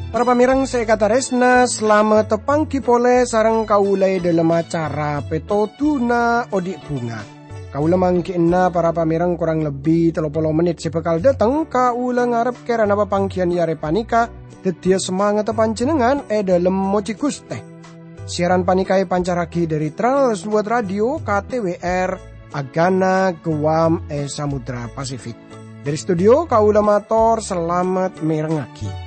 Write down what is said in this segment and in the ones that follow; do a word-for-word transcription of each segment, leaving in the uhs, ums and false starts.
Para pamèrèng sè èkatarèsna, salamet tapangghi polè sareng kaulâ è dhâlem acara Pètodhuna Odi' Bhunga. Kaulâ mangghi'na para pamèrèng korang lebbi tello polo mennit sè bhâkal dâteng, kaulâ ngarep kèrana papangghiyân è arè panèka dhâddhiyâ samangatta panjhennengngan è dhâlem mojhi Ghustè. Siaran panèka èpancarraghi dhâri Trans World Radio K T W R, Agana, Guam, è Samudra Pasifik. Dhâri studio, kaulâ mator salamet mèrengngaghi.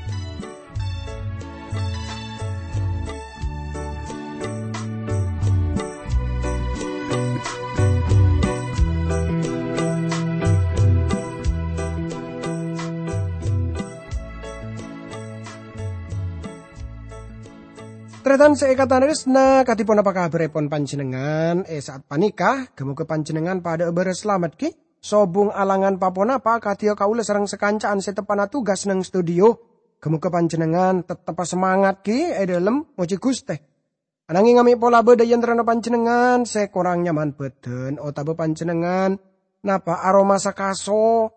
Tarètan sè èkatarèsna, kadhi ponapa kabhârèpon panjhennengngan è sa'at panèka? Ghâ-moghâ panjhennengngan padhâ'â bârâs salamet, ghi? Sobung alangan pa-ponapa kadhiyâ kaulâ sareng sakanca'an sè teppa'na tugas neng studio. Ghâ-moghâ panjhennengngan tetteppa samangat, ghi, è dhâlem mojhi Ghustè. Ananging amè' pola bâdâ è antarana panjhennengngan sè korang nyaman bhâdhân otabâ panjhennengngan napa aromasa kaso,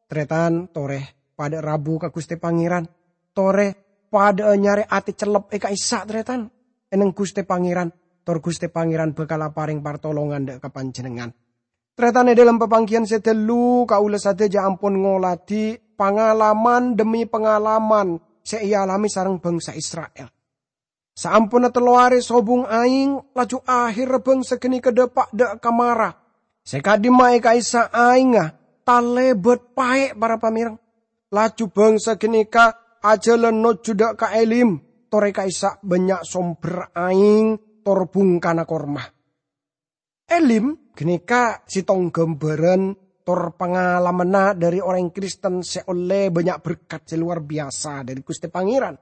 tarètan torè padhâ rabu ka Ghustè Pangèran. Torè padhâ'â nyarè atè cellep è ka'issa', tarètan, è neng Ghustè Pangèran, tor Ghustè Pangèran bhâkal aparèng partolongan dhâ' ka panjhennengngan. Tarètan, è dhâlem papangghiyân sè ghâllu, kaulâ sadhâjâ ampon ngoladhi pangalaman dhemmi pangalaman sè èalamè sareng bhângsa Isra'il. Saamponna tello arè sobung aèng, laju ahèrra bhângsa ghânèka dâpa' dhâ' ka mara. Sè ka'dimma è ka'issa' aèngnga talèbât paè', para pamèrèng. Laju bhângsa ghânèka ajhâlân nojjhu dhâ' ka Elim, torè ka'issa' bânnya' sombher aèng tor bhungkana korma. Elim ghânèka sèttong ghâmbhârân tor pangalamanna dhâri orèng Kristen sè ollè bânnya' berkat sè lowar biyasa dhâri Ghustè Pangèran,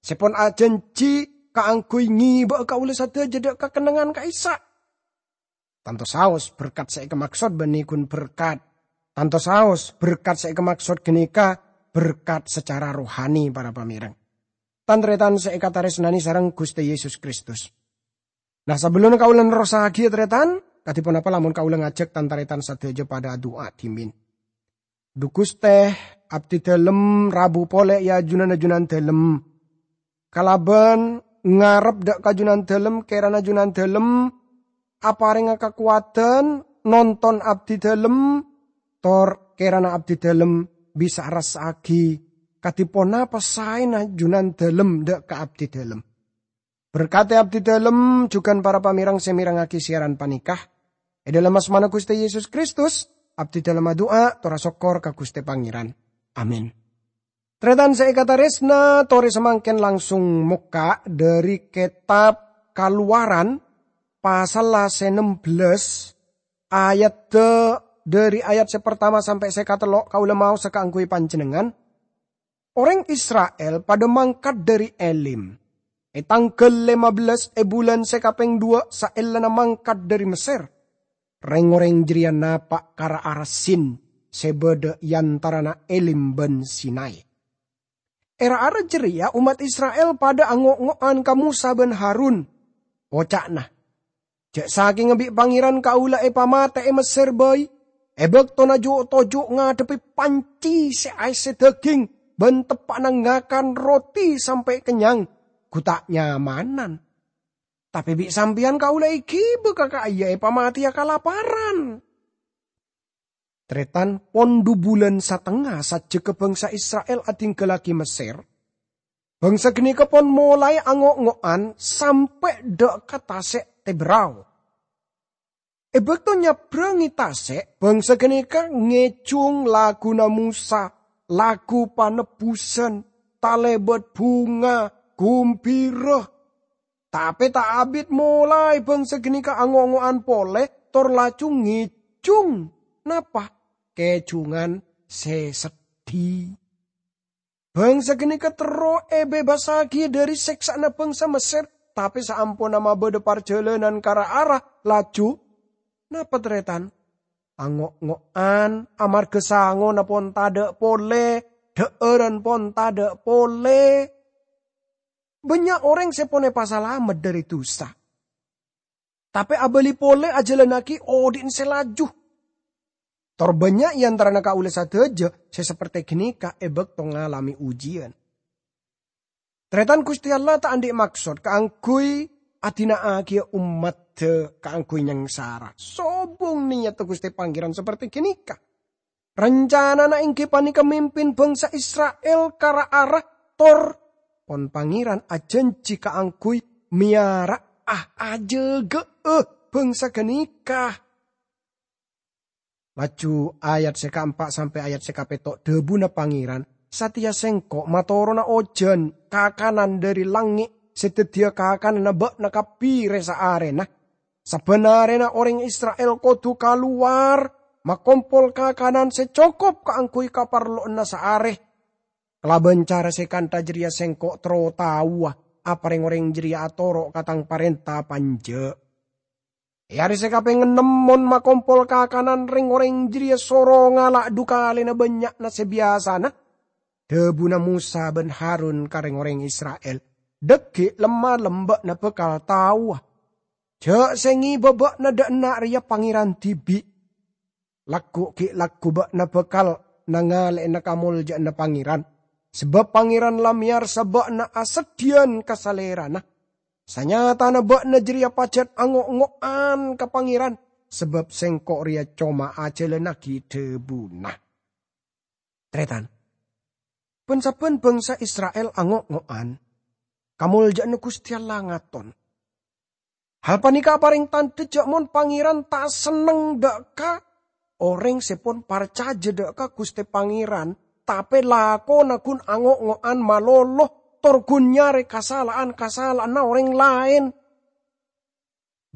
sè pon ajhânjhi kaangghuy ngèbâ'â kaulâ sadhâjâ dhâ' ka kennengngan ka'issa'. Tanto saos berkat sè èkamaksod bânnè ghun berkat. Tanto saos berkat sè èkamaksod ghânèka berkat sacara rohani, para pamèrèng. Tan-tarètan sè èkatarèsnanè sareng Ghustè Yesus Kristus. Nah, sabellunna kaulâ nerrossaghiyâ, tarètan, kadhi ponapa lamon kaulâ ngajhâk tan-tarètan sadhâjâ padhâ adu'a dhimèn? Dhu Ghustè, abdhi dhâlem rabu polè è ajunanna Jhunan Dhâlem. Kalabân ngarep dhâ' ka Jhunan Dhâlem, kèrana Jhunan Dhâlem aparènga kakowadhân nonton abdhi dhâlem, tor kèrana abdhi dhâlem bisa arassaaghi kadhi ponapa saèna Jhunan Dhâlem dhâ' ka abdhi dhâlem. Berkadhi abdhi dhâlem jhughân para pamèrèng sè mèrengngaghi siaran panèka. È dhâlem asmana Ghustè Yesus Kristus, abdhi dhâlem adu'a tor asokkor ka Ghustè Pangèran. Amin. Tarètan sè èkatarèsna, torè samangkèn langsung mokka' dhâri kètab Kalowaran, pasalla sè ennem bellâs, ayadda dhâri ayat sè partama sampè' sè katello' kaulâ maosa kaangghuy panjhennengngan. Orèng Isra'il padhâ mangkat dhâri Elim. È tangghâl lèma bellâs è bulân sè kapèng duwâ' saellana mangkat dhâri Messèr, rèng-orèng jârèya napa' ka ra-ara Sin sè bâdâ è antarana Elim bân Sinai. È ra-ara jârèya ommat Isra'il padhâ ango'-ngo'an ka Mosa bân Harun. Oca'na, "Jhâ' sakènga bi' Pangèran kaulâ èpamatè è Messèr bhâi, è bâktona ju'-toju' ngadhebbhi pancè sè aèssè dhâghing bân teppa'na ngakan roti sampè' kennyang, ghu ta' nyamanan. Tapè bi' sampèyan kaulâ èghibâ ka ka'iyâ èpamatèya kalaparan." Tarètan, pon dhu bulân satengnga sajjhegghâ bhângsa Isra'il adhingghâllaghi Messèr. Bhângsa ghânèka pon molaè ango'-ngo'an sampè' dhâ' ka Tasè' Tebrao. È bâkto nyabbrângè tasè', bhângsa ghânèka ngèjhung laguna Mosa, lagu panebbusan, talèbât bhunga, ghumbhira. Tapè ta' abit molaè bhângsa ghânèka ango'-ngo'an polè, tor laju ngèjhung. Napa? Kèjhungan sè seddhi. Bhângsa ghânèka terro èbebassaghiyâ dhâri sèksa'anna bhângsa Messèr, tapè saamponna mabâdâ parjhâlânan ka ra-ara, laju napa, tarètan? Ango'-ngo'an, amarghâ sangona pon tadhâ' polè, dhâ'âran pon tadhâ' polè. Bannya' orèng sè pon èpasalamet dhâri dhusa, tapè abâli polè ajhâlannaghi odi'na sè laju. Tor bannya' è antarana kaulâ sadhâjâ sè sapertè ghânèka è bâkto ngalamè ujiyân. Tarètan, Ghustè Allah ta' andi' maksod kaangghuy adina'aghiyâ ommaddhâ kaangghuy nyangsara. Sobung niyatta Ghustè Pangèran sapertè ghânèka. Rancanana èngghi panèka mimpin bangsa Isra'il ka ra-ara, tor pon Pangèran ajhânjhi kaangghuy mèyara'a, ajâgâ'â bangsa ghânèka. Laju ayat sè kaempa' sampè' ayat sè kapètto', dhâbuna Pangèran, "Satèya Sèngko' matorona ojhân kakanan dhâri langngè' sè dhâddhiyâ kakananna bâ'na kabbhi rè-saarèna. Sabbhân arèna orèng Isra'il kodhu kalowar makompol kakanan sè cokop kaangghuy kaparlowanna saarè. Kalabân cara sè kantha jârèya Sèngko' terro taowa apa rèng-orèng jârèya atoro' ka tang parènta apa enjâ'." È arè sè kapèng ennem mon makompol kakanan, rèng-orèng jârèya soro ngala' dhu kalèna bânnya'na sè biyasana. Dhâbuna Mosa bân Harun ka rèng-orèng Isra'il, "Dhâggi' lem-malem bâ'na bhâkal taowa. Jhâ' sè ngèbâ bâ'na dâ' enna' rèya Pangèran dhibi'. Lagghu' ghi' lagghu' bâ'na bhâkal nangalè'ana kamoljâ'ânna Pangèran, sabâb Pangèran la mèyarsa bâ'na aseddhiyân ka Salèrana. Sanyatana bâ'na jârèya pajhât ango'-ngo'an ka Pangèran, sabâb Sèngko' rèya coma ajhâlannaghi dhâbuna." Tarètan, bân-sabbhân bangsa Isra'il ango'-ngo'an, kamoljâ'ânna Ghustè Allah ngaton. Hal panèka aparèng tandhâ jhâ' mon Pangèran ta' senneng dâ' ka orèng sè pon parcajâ dâ' ka Ghustè Pangèran, tapè lakona ghun ango'-ngo'an malolo, tor ghun nyarè kasala'an-kasala'anna orèng laèn.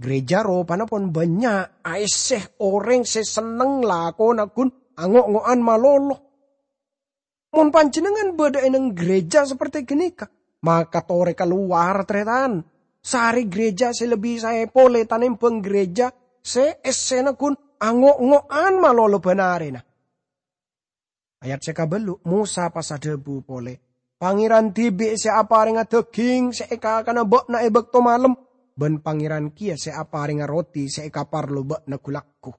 Ghârèjâ ropana pon bânnya' aèssè orèng sè senneng lakona ghun ango'-ngo'an malolo. Mon panjhennengngan bâdâ è nèng ghârèjâ sapertè ghânèka, maka torè kalowar, tarètan. Sarè ghârèjâ sè lebbi saè polè tanèmbhâng ghârèjâ sè èssèna ghun ango'-ngo'an malolo bân arèna. Ayat sè kabâllu', Mosa pas adhâbu polè, "Pangèran dhibi' sè aparènga dhâghing sè èkakana bâ'na è bâkto malem, bân Pangèran kèya sè aparènga roti sè èkaparlo bâ'na ghu-lagghu.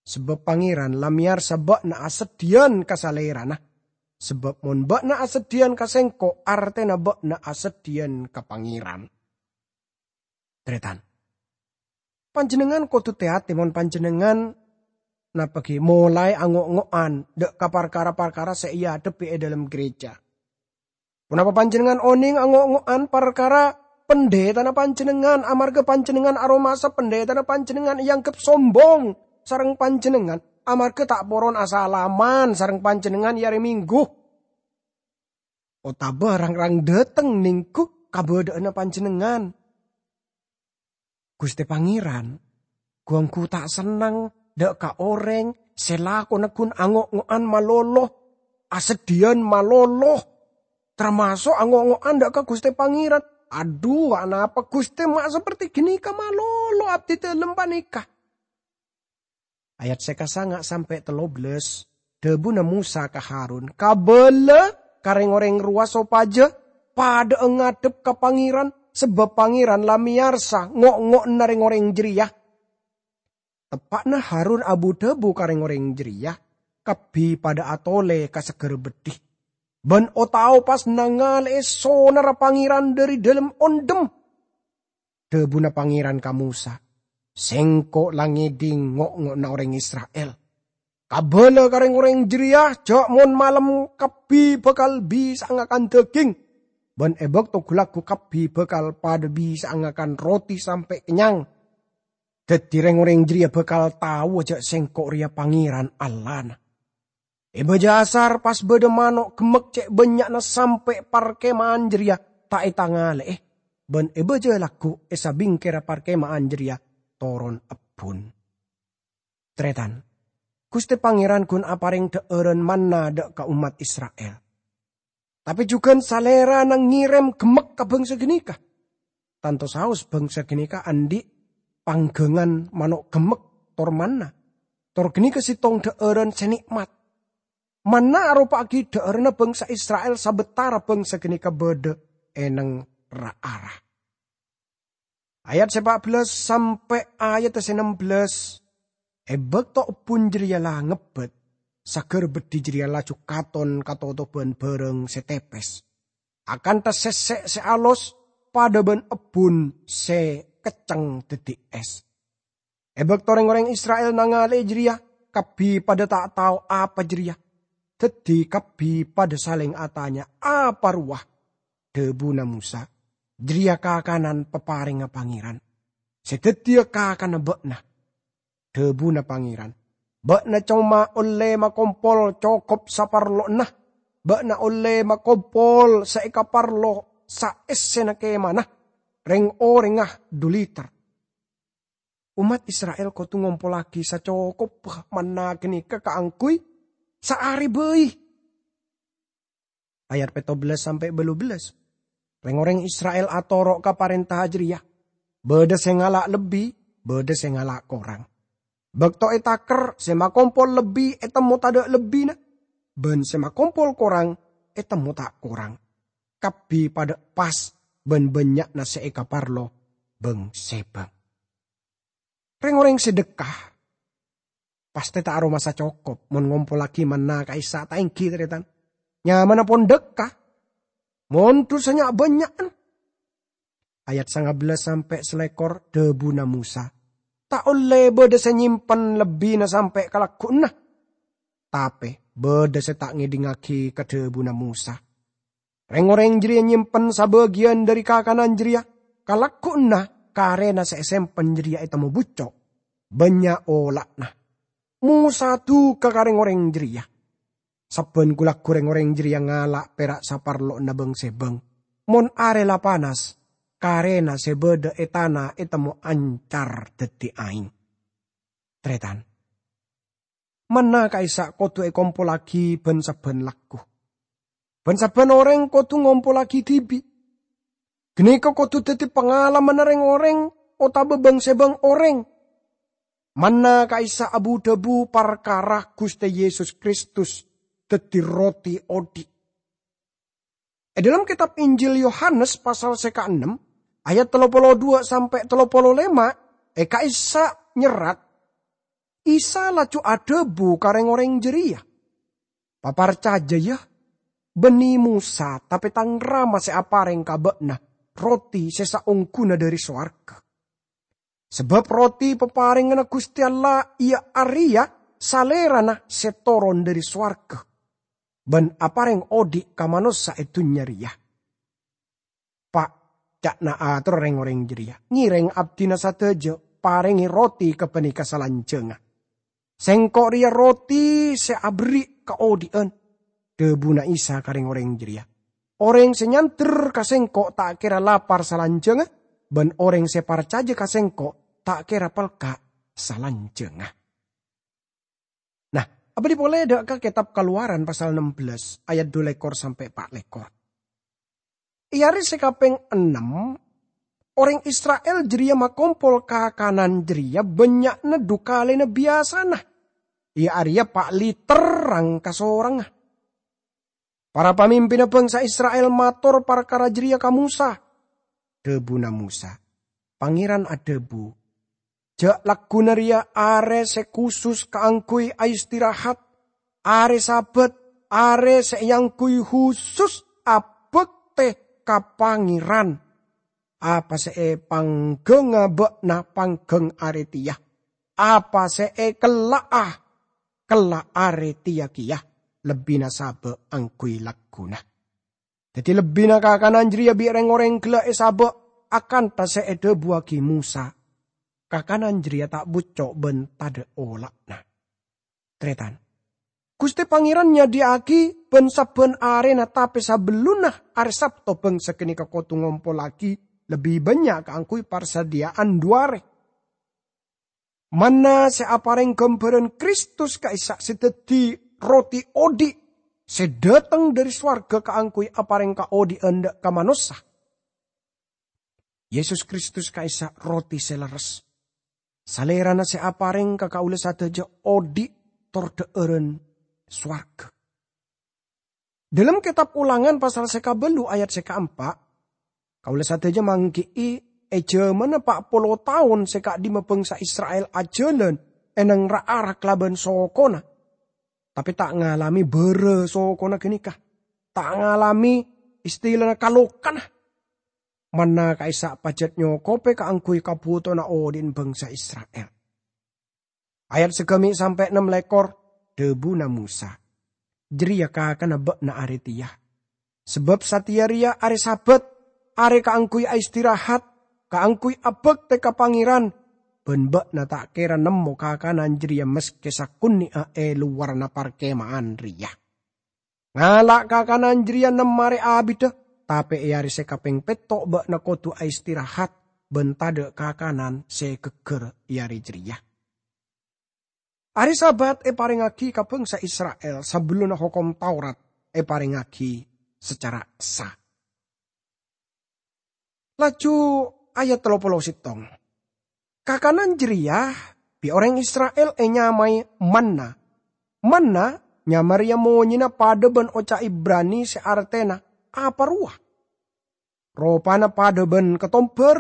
Sabâb Pangèran la mèyarsa bâ'na aseddhiyân ka Salèrana. Sabâb mon bâ'na aseddhiyân ka Sèngko', artèna bâ'na aseddhiyân ka Pangèran." Tarètan, panjhennengngan kodhu tè-atè mon panjhennengngan napa ghi molaè ango'-ngo'an dâ' ka parkara-parkara sè èadhebbhi è dâlem ghârèjâ. Ponapa panjhennengngan onèng ango'-ngo'an parkara pandhitana panjhennengngan, amarghâ panjhennengngan aromasa pandhitana panjhennengngan èangghep sombong sareng panjhennengngan, amarghâ ta' poron asalaman sareng panjhennengngan è arè Minggu? Otabâ rang-rang dâteng nèngghu kabâdâ'ânna panjhennengngan? Ghustè Pangèran ghu-ongghu ta' senneng dâ' ka orèng sè lakona ghun ango'-ngo'an malolo, aseddhiyân malolo, tamaso' ango'-ngo'an dâ' ka Ghustè Pangèran. Adhu, anapa Ghustè ma' sapertè ghânèka malolo abdhidhâlem panèka? Ayat sè kasanga' sampè' tello bellâs, dhâbuna Mosa ka Harun, "Kabâlâ ka rèng-orèng rowa sopajâ padhâ'â ngadhep ka Pangèran, sabâb Pangèran la mèyarsa ngo'-ngo'anna rèng-orèng jârèya." Teppa'na Harun abu-dhâbu ka rèng-orèng jârèya, kabbhi padhâ atolè ka sagârâ beddhi, bân o-tao pas nangalè'è sonarra Pangèran dhâri dâlem ondhem. Dhâbuna Pangèran ka Mosa, "Sèngko' la ngèdhing ngo'-ngo'anna orèng Isra'il. Kabâlâ ka rèng-orèng jârèya jhâ' mon malem kabbhi bhâkal bisa'a ngakan dhâghing, bân è bâkto ghu-lagghu kabbhi bhâkal padhâ bisa'a ngakan roti sampè' kennyang. Dhâddhi rèng-orèng jârèya bhâkal taowa jhâ' Sèngko' rèya Pangèran Allahna." È bâjâ asar pas bâdâ mano' gemmek cè' bânnya'na sampè' parkèma'an jârèya ta' ètangalè'è, bân è bâjâ lagghu' è sabingkèrra parkèma'an jârèya toron ebbhun. Tarètan, Ghustè Pangèran ghun aparèng dhâ'ârân manna dâ' ka ommat Isra'il. Tapè jhughân Salèrana ngèrèm gemmek ka bhângsa ghânèka. Tanto saos bhângsa ghânèka andi' pangghângan mano' gemmek tor manna. Tor ghânèka sèttong dhâ'ârân sè nè'mat. Manna aropa'aghi dhâ'ârânna bhângsa Isra'il sabâtara bhângsa ghânèka bâdâ è nèng ra-ara. Ayat sè pa' bellâs sampè' ayat sè nem bellâs. È bâkto ebbhun jârèya la ngebbhât, saghâr beddhi jârèya laju katon katotobhân bhârâng sè tèpès, akantha sèsè' sè alos padâ bân ebbhun sè kecceng dhâddhi ès. È bâkto rèng-orèng Isra'il nangalè'è jârèya, kabbhi padâ ta' tao apa jârèya. Dhâddhi kabbhi padâ salèng atanya, "Apa rowa?" Dhâbuna Mosa, "Jârèya kakanan paparèngnga Pangèran, sè dhâddhiyâ kakana bâ'na." Dhâbuna Pangèran, "Bâ'na coma ollè makompol cokop saparlo'na. Bâ'na ollè makompol sè èkaparlo saèssèna kèmana, rèng-orèngnga dhu liter." Ommat Isra'il kodhu ngompollaghi sacokobbhâ manna ghânèka kaangghuy saarè bhâi. Ayat pètto bellâs sampè' bâllu bellâs. Rèng-orèng Isra'il atoro' ka parènta jârèya. Bâdâ sè ngala' lebbi, bâdâ sè ngala' korang. Bâkto ètaker, sè makompol lebbi ètemmo tadâ' lebbina, bân sè makompol korang ètemmo ta' korang. Kabbhi padâ pas bân bânnya'na sè èkaparlo bâng-sèbâng. Rèng-orèng sè dhâkka pastè ta' aromasa cokop mon ngompollaghi manna ka'issa' ta' èngghi, tarètan. Nyamana pon dhâkka, mon dhusana bânnya'an. Ayat sanga bellâs sampè' salèkor, dhâbuna Mosa, "Ta' ollè bâdâ sè nyèmpen lebbina sampè' ka lagghu'na." Tapè bâdâ sè ta' ngèdingngaghi ka dhâbuna Mosa. Rèng-orèng jârèya nyèmpen sabâgiyân dhâri kakanan jârèya, ka lagghu'na karèna sè èsèmpen jârèya ètemmo bucco', bânnya' ola'na. Mosa duka ka rèng-orèng jârèya. Sabbhân ghu-lagghu rèng-orèng jârèya ngala' pèra' saparlo'na bâng-sèbâng. Mon arè la panas, karèna sè bâdâ è tana ètemmo ancar dhâddhi aèng. Tarètan. Manna ka'issa' kodhu èkompollaghi bân-sabbhân lagghu. Bân-sabbhân orèng kodhu ngompollaghi dhibi'. Ghânèka kodhu dhâddhi pangalamanna rèng-orèng otabâ bâng-sèbâng orèng. Manna ka'issa' abu-dhâbu parkara Ghustè Yesus Kristus dhâddhi roti odhi'. È dhâlem kètab Injil Yohanes pasal sè kaennem, ayat tello polo duwâ' sampè' tello polo lèma', è ka'issa' nyerrat, Isa laju adhâbu ka rèng-orèng jârèya, "Paparcajâ, yâ, bânnè Mosa, tapè Tang Rama sè aparèng ka bâ'na roti sè saongghuna dhâri sowarghâ. Sabâb roti paparèngnganna Ghustè Allah iyâ arèya Salèrana sè toron dhâri sowarghâ, bân aparèng odhi' ka manossa è dhunnya rèya." "Pa'," ca'na ator rèng-orèng jârèya, "ngèrèng abdhina sadhâjâ, parèngè roti ghâpanèka salanjhângnga. Sèngko' rèya roti sè aberri' kaodhi'ân." Dhâbuna Isa ka rèng-orèng jârèya, "Orèng sè nyandher ka Sèngko' ta' kèra lapar salanjhângnga, bân orèng sè parcajâ ka Sèngko' ta' kèra pelka' salanjhângnga." Nah, abâli polè dâ' ka kètab Kalowaran pasal ennem bellâs, ayat dulèkor sampè' pa' lèkor. È arè sè kapèng ennem, orèng Isra'il jârèya makompol kakanan jârèya bânnya'na dhu kalèna biyasana, iyâ arèya pa' liter rang-kasorangnga. Para pamimpinna bangsa Isra'il mator parkara jârèya ka Mosa. Dhâbuna Mosa, "Pangèran adhâbu, 'Jâ' lagghuna rèya arè sè khusus kaangghuy aistirahat, arè Sabat, arè sè èangghuy khusus abhâktè ka Pangèran. Apa sè èpangghângnga bâ'na pangghâng arè tèya. Apa sè èkella'a, kella' arè tèya kèya, lebbina sabâ' angghuy lagghuna.'" Dhâddhi lebbina kakanan jârèya bi' rèng-orèng ghellâ' èsabâ' akantha sè èdhâbuwaghi Mosa. Kakanan jârèya ta' bucco' bân tadâ' ola'na. Tarètan, Ghustè Pangèran nyadhiyâ'aghi bân-sabbhân arèna, tapè sabellunna arè Sabto bângsa ghânèka kodhu ngompollaghi lebbi bânnya' kaangghuy parsadhiyâ'ân dhu arè. Manna sè aparèng ghâmbhârân Kristus ka'issa' sè dhâddhi roti odhi' sè dhâteng dhâri sowarghâ kaangghuy aparèng kaodhi'ân dâ' ka manossa. Yesus Kristus ka'issa' roti sè lerres. Salèrana sè aparèng ka kaulâ sadhâjâ odhi' tor dhâ'ârân sowarghâ. Dhâlem kètab Ulangan pasal sè kabâllu ayat sè kaempa', Kaulâ sadhâjâ mangghi'i è jhâmanna pa' polo taon sè ka'dimma bhângsa Isra'il ajhâlân è neng ra-ara kalabân sokona, tapè ta' ngalamè bârâ sokona ghânèka, ta' ngalamè istilana kalokana. Manna ka'issa' pajhât nyokobhâ kaangghuy kabhutowanna odi'na bhângsa Isra'il. Ayat sagâmè' sampè' ennem lèkor, dhâbuna Mosa, "Jârèya kakana bâ'na arè tèya. Sabâb satèya rèya arè Sabat, arè kaangghuy aistirahat, kaangghuy abhâktè ka Pangèran, bân bâ'na ta' kèra nemmo kakanan jârèya maskè sakonè'a è lowarra parkèma'an rèya. Ngala' kakanan jârèya nem arè abiddhâ, tapè è arè sè kapèng pètto' bâ'na kodhu aistirahat bân tadâ' kakanan sè ghâgghâr è arè jârèya." Arè Sabat èparèngaghi ka bhângsa Isra'il sabellunna Hokom Taurat èparèngaghi sacara essa. Laju ayat tello polo sèttong. Kakanan jârèya bi' orèng Isra'il ènyamaè manna. Manna nyama rèya monyèna padâ bân oca' Ibrani sè artèna "apa rowa". Ropana padâ bân katombhâr,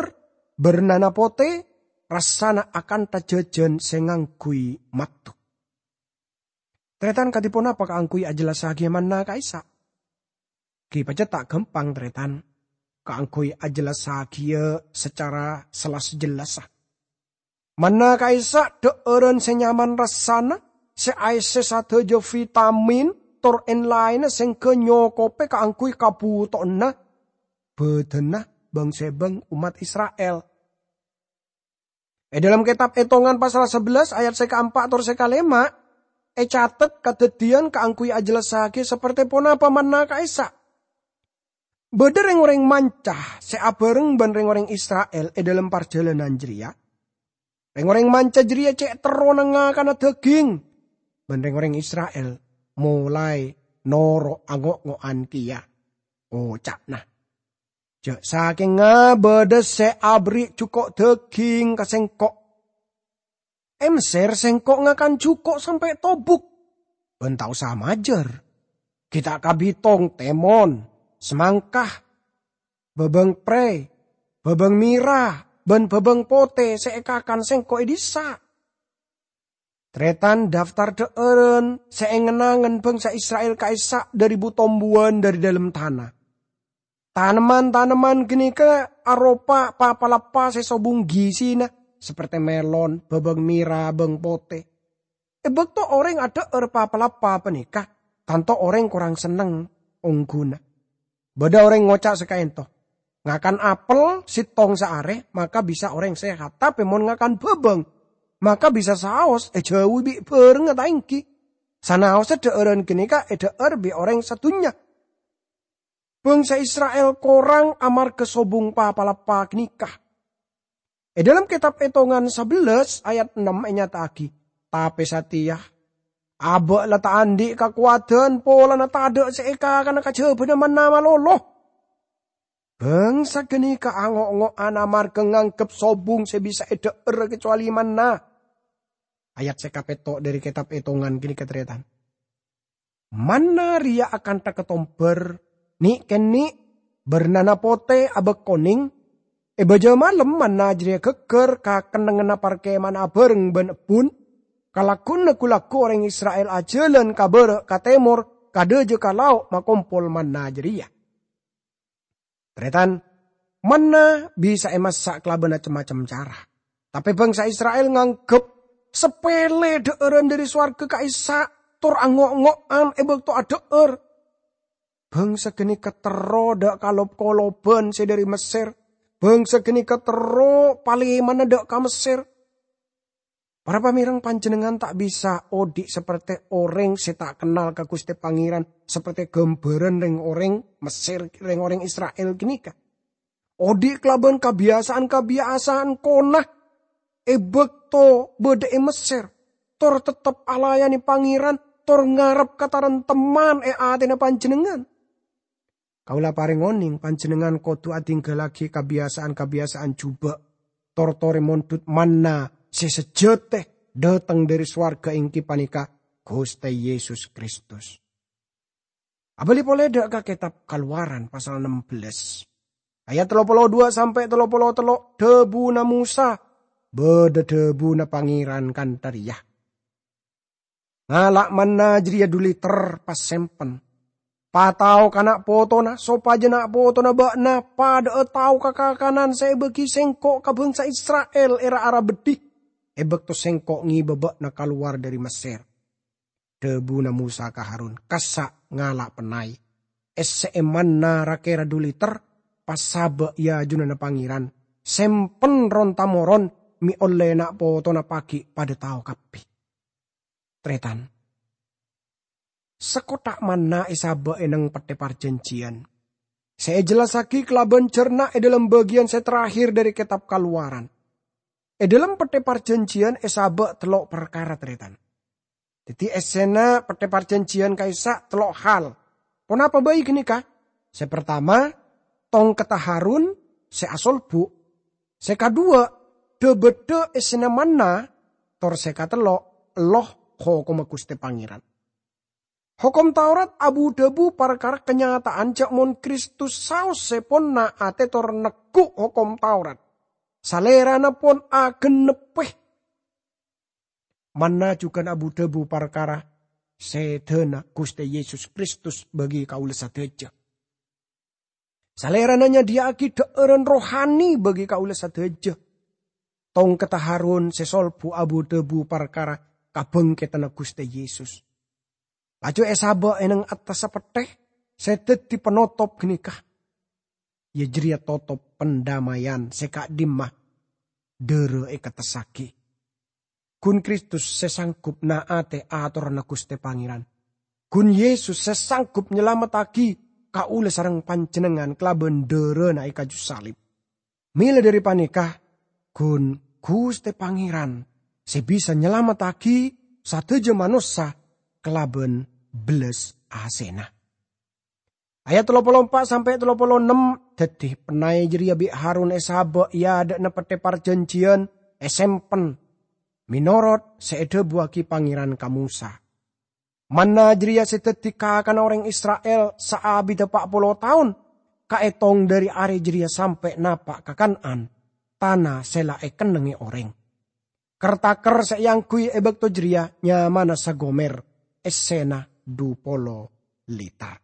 bârnana potè, rassana akanta jhâjhân sè ngangghuy matto. Tarètan, kadhi ponapa kaangghuy ajhellassaghiyâ manna ka'issa'? Ghi' pajhât ta' ghâmpang, tarètan, kaangghuy ajhellassaghiyâ sacara sella-jellassa. Manna ka'issa' dhâ'ârân sè nyaman rassana, sè aèssè sadhâjâ vitamin tor èn-laènna sèngghâ nyokobhâ kaangghuy kabhutowanna bhâdhânna bhâng-sèbhâng ommat Isra'il. È dhâlem kètab Ètongan pasal sabellâs ayat sè kaempa' tor sè kalèma', ècatet kadhâddhiyân kaangghuy ajhellassaghiyâ saperte ponapa manna ka'issa'. Bâdâ rèng-orèng manca sè abhâreng bân rèng-orèng Isra'il è dhâlem parjhâlânan jârèya. Rèng-orèng manca jârèya cè' terrona ngakana dhâghing, bân rèng-orèng Isra'il molaè noro' ango'-ngo'an kèya. Oca'na, "Jâ' sakènga bâdâ sè aberri' jhuko' dhâghing ka sèngko'. È Messer sèngko' ngakan jhuko' sampè' tobuk, bân ta' osa majâr. Ghi' ta' kabitong tèmon, samangka, bhâbâng prè, bhâbâng mèra, bân bhâbâng potè sè èkakan sèngko' è dissa'." Tarètan, daftar dhâ'ârân sè èngen-angen bhângsa Isra'il ka'issa' dhâri bu-tombuwân dhâri dhâlem tana. Tanemman-tanemman ghânèka aropa pa-palappa sè sobung gisina, saperte melon, bhâbâng mèra, bâng potè. È bâkto orèng adhâ'âr pa-palappa panèka, tanto orèng korang senneng ongghuna. Bâdâ orèng ngoca' sakaènto, "Ngakan apel sèttong saarè, maka bisa orèng sehat. Tapè mon ngakan bhâbâng, maka bisa saos èjhâuwi bi' bhârengnga ta' ènggi? Sanaossa dhâ'ârân ghânèka èdhâ'âr bi' orèng sadhunnya." Bhângsa Isra'il korang amarghâ sobung pa-palappa ghânèka. È dhâlem kètab Ètongan sabellâs ayat ennem ènyata'aghi, "Tapè satèya, abâ' la ta' andi' kakowadhân polana tadâ' sè èkakana kajhâbhâna manna malolo." Bhângsa ghânèka ango'-ngo'an amarghâ nganggep sobung sè bisa èdhâ'âr kacowalè manna. Ayat sè kapètto' dhâri kètab Ètongan ghânèka tarètan. Manna rèya akanta katombhâr, nè'-kènè', bârnana potè abâk konèng. È bâjâ malem manna jârèya ghâgghâr ka kennengnganna parkèma'an abhâreng bân ebbhun. Kalagghuwânna ghu-lagghu orèng Isra'il ajhâlân ka bârâ' ka tèmor, ka dâjâ ka lao' makompol manna jârèya. Tarètan, manna bisa èmassa kalabân cem-macem cara. Tapè bhângsa Isra'il nganggep sapèlè dhâ'ârân dhâri sowarghâ ka'issa' tor ango'-ngo'an è bâkto adhâ'âr. Bhângsa ghânèka terro dâ' kalop-kolobhân sè dhâri Messer. Bhângsa ghânèka terro palèmana dâ' ka Messer. Para pamèreng, panjhennengngan ta' bisa odi' saperte orèng sè ta' kennal ka Ghustè Pangèran, saperte ghâmbhârân rèng-orèng Messer, rèng-orèng Isra'il ghânèka. Odi' kalabân kabiyasaan-kabiyasaan kona è bâkto bâdâ è Messer, tor teptep alayanè Pangèran, tor ngarep kataremtemman è atèna panjhennengngan. Kaulâ parèng onèng panjhennengngan kodhu adhingghâllaghi kabiyasaan-kabiyasaan jhubâ', tor torè mondhut manna sè sajhâtè dâteng dhâri sowarghâ, èngghi panèka Ghustè Yesus Kristus. Abâli polè dâ' ka kètab Kalowaran pasal ennem bellâs. Ayat tello polo duwâ' sampè' tello polo tello', dhâbuna Mosa, bâdâ dhâbuna Pangèran kantha rèya, "Ngala' manna jârèya du liter pas sempen. Patao ka na' potona, sopajâ na' potona bâ'na padâ'â tao ka kakanan sè èbâgi Sèngko' ka bhângsa Isra'il è ra-ara beddhi, è bâkto Sèngko' ngèbâ bâ'na kalowar dâri Messèr." Dhâbuna Mosa ka Harun, "Kassa' ngala' pennay. Essè'è manna ra-kèra du liter, pas sabâ' è ajunanna Pangèran. Sempen ron-tamoron, mè' ollè na' potona paghi' padâ tao kabbhi." Tarètan, sakottha' manna èsabâ' è nèng Pettè Parjhânjhiyân, sè èjellassaghi kalabân jhârna è dhâlem bâgiyân sè terakhir dâri Kètab Kalowaran. È dhâlem Pettè Parjhânjhiyân èsabâ' tello' parkara, tarètan. Dhâddhi, essèna Pettè Parjhânjhiyân ka'issa' tello' hal. Ponapa bhâi ghânèka? Sè partama, tongkedda Harun sè asolbu'. Sè kaduwâ', dhâ-bâddhâ essèna manna. Tor sè katello', ello hokomma Ghustè Pangèran. Hokom Taurat abu-dhâbu parkara kanyata'an jhâ' mon Kristus saos sè pon na'-atè tor neggu' Hokom Taurat, Salèrana pon agennebbhi. Manna jhughân abu-dhâbu parkara sèdhâna Ghustè Yesus Kristus bâgi kaulâ sadhâjâ. Salèrana nyadhiyâ'aghi dhâ'ârân rohani bâgi kaulâ sadhâjâ. Tongkedda Harun sè solbu' abu-dhâbu parkara kabhângkèdhânna Ghustè Yesus. Laju èsabâ' è nèng attassa pettè sè dhâddhi panotop ghânèka, iyâ jârèya totop pandamaian sè ka'dimma dârâ èkettessaghi. Ghun Kristus sè sanggup na'-atè atoranna Ghustè Pangèran. Ghun Yesus sè sanggup nyalamettaghi kaulâ sareng panjhennengngan kalabân dârâna è kaju salib. Mèla dâri panèka, ghun Ghustè Pangèran sè bisa nyalamettaghi sadhâjâ manossa kalabân bellas asèna. Ayat tello polo empa' sampè' tello polo ennem, dhâddhi pennay jârèya bi' Harun èsabâ' è adâ'na Pettè Parjhânjhiyân, èsempen, mènorot sè èdhâbuwâghi Pangèran ka Mosa. Manna jârèya sè dhâddhi kakana orèng Isra'il saabiddhâ pa' polo taon, kaètong dâri arè jârèya sampè' napa' ka Kan'an, tana sè la èkennengngè orèng. Ker-taker sè èangghuy è bâkto jârèya nyamana sagomer, essèna du polo liter.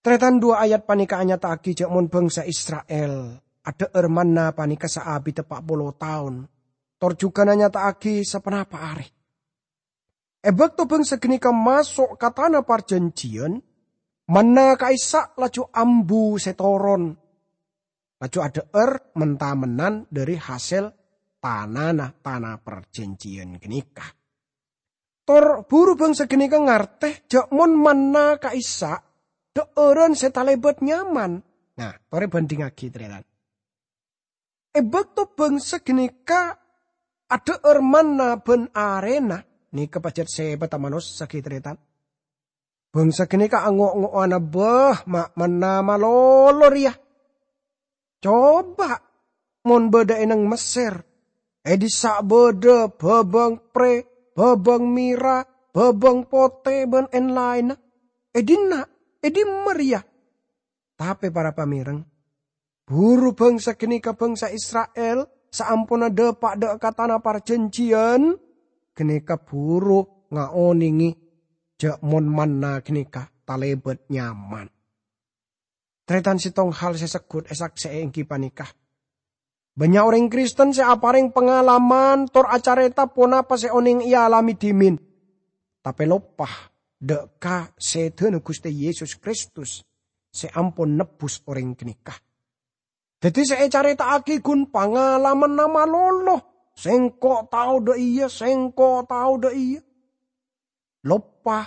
Tarètan, duwâ' ayat panèka anyata'aghi jhâ' mon bhângsa Isra'il adhâ'âr manna panèka saabiddhâ pa' polo taon, tor jhughân anyata'aghi saponapa arè. È bâkto bhângsa ghânèka maso' ka Tana Parjhânjhiyân, manna ka'issa' laju ambu sè toron, laju adhâ'âr men-tamennan dâri hasèl tanana Tana Parjhânjhiyân ghânèka. Tor buru bhângsa ghânèka ngartè jhâ' mon manna ka'issa' dhâ'ârân sè talèbât nyaman. Nah, torè bhândhingngaghi, tarètan. È bâkto bhângsa ghânèka adhâ'âr manna bân arèna, nèka pajhât sèpatta manossa ghi, tarètan. Bhângsa ghânèka ango'-ngo'ona, "Bâh, ma' manna malolo rèya! Coba, mon bâdâ è nèng Messèr, è dissa' bâdâ bhâbâng prè, bhâbâng mèra, bhâbâng potè, bân èn-laènna. È dinna', è dimma rèya?" Tapè para pamèreng, buru bhângsa ghânèka, bhângsa Isra'il, saamponna dâpa' dâ' ka Tana Parjhânjhiyân, ghânèka buru ngaonèngè jhâ' mon manna ghânèka talèbât nyaman. Tarètan, sèttong hal sè segghut èsaksè'è èngghi panèka, bânnya' orèng Kristen sè aparèng pangalaman tor acarèta ponapa sè onèng èalamè dhimèn, tapè loppa dâ' ka sèdhâna Ghustè Yesus Kristus sè ampon nebbhus orèng ghânèka. Dhâddhi sè ècarèta'aghi ghun pangalamanna malolo, "Sèngko' tao dâ' iyâ, sèngko' tao dâ' iyâ." Loppa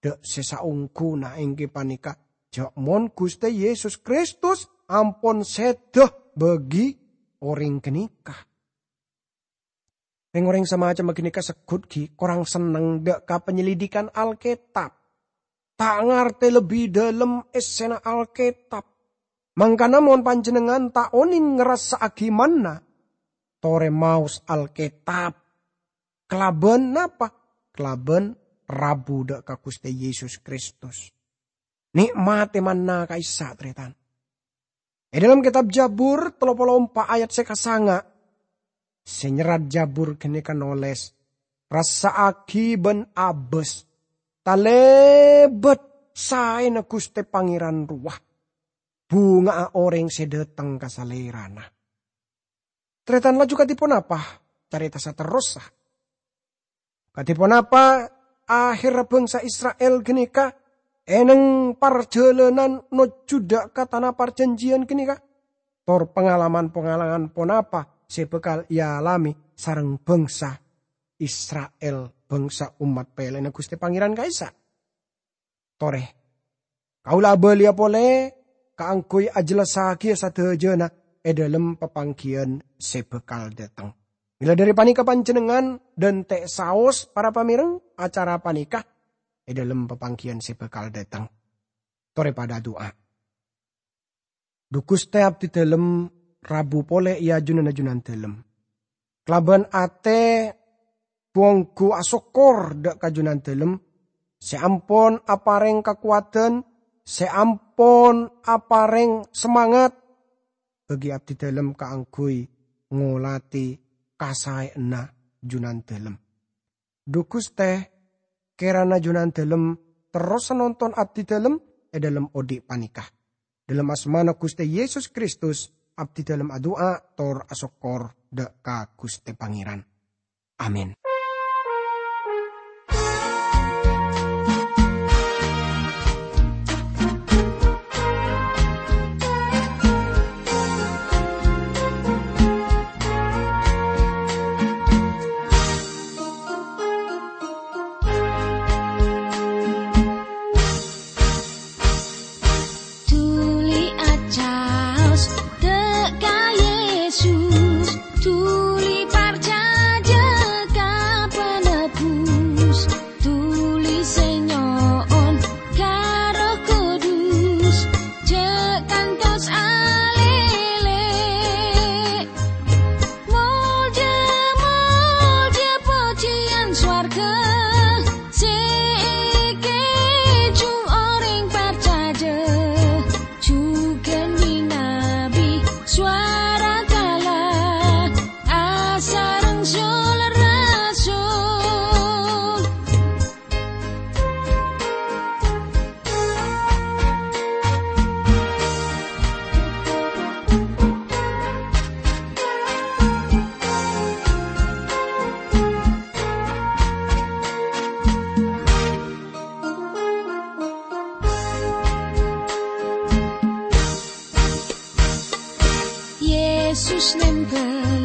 dâ' sè saongghuna èngghi panèka jhâ' mon Ghustè Yesus Kristus ampon sèdhâ bâgi orèng ghânèka. Rèng-orèng samacemma ghânèka segghut ghi' korang senneng dâ' ka panyelidikan Alkètab. Ta' ngartè lebbi dâlem èssèna Alkètab. Mangkana mon panjhennengngan ta' onèng ngarassa'aghi manna, torè maos Alkètab. Kalabân napa? Kalabân rabu dâ' ka Ghustè Yesus Kristus. Nè'matè manna ka'issa', tarètan. È dhâlem kètab Jabur tello polo empa' ayat sè kasanga', sè nyerrat Jabur ghânèka nolès, "Rassa'aghi bân abâs, talèbât saèna Ghustè Pangèran rowa, bhunga'a orèng sè dhâteng ka Salèrana." Tarètan laju kadhi ponapa carèta saterrossa? Kadhi ponapa ahèrra bhângsa Isra'il ghânèka è nèng parjhâlânan nojjhu dâ' ka tana parjhânjhiyân ghânèka? Tor pangalaman-pangalaman ponapa sè bhâkal èalamè sareng bhângsa Isra'il, bhângsa ommat pèlèna Ghustè Pangèran ka'issa'? Torè, kaulâ abâliyâ polè kaangghuy ajhellassaghiyâ sadhâjâna è dhâlem papangghiyân sè bhâkal dhâteng. Mèla dhâri panèka panjhennengngan dhânte' saos para pamèreng acara panèka è dhâlem papangghiyân sè bhâkal dhâteng. Torè padâ adu'a. Dhu Ghustè, abdidhâlem rabu polè è ajunanna Junandhâlem. Kalabân atè bhu-ongghu asokkor dâ' ka Junandhâlem sè ampon aparèng kakowadhân, sè ampon aparèng samangat bagi abdidhâlem kaangghuy ngolatè kasaèyanna Junandhâlem. Dhu Ghustè, kèrana Junandhâlem terrosa nonton abdidhâlem è dhâlem odi' panèka. Dhâlem asmana Ghustè Yesus Kristus, abdidhâlem adu'a tor asokkor dâ' ka Ghustè Pangèran. Amin. Dhuli acaos dâ' ka Yesus, dhuli parcajâ ka Penebus, dhuli sè nyo'on ka Erroh Kudus, jhâ' kantos alèlè. Molja, molja, pojhiyân sowarghâ sè èkèjhung orèng parcajâ, jhughân mènabi sowara kala asareng sul-rasul. Yesus nèmpèl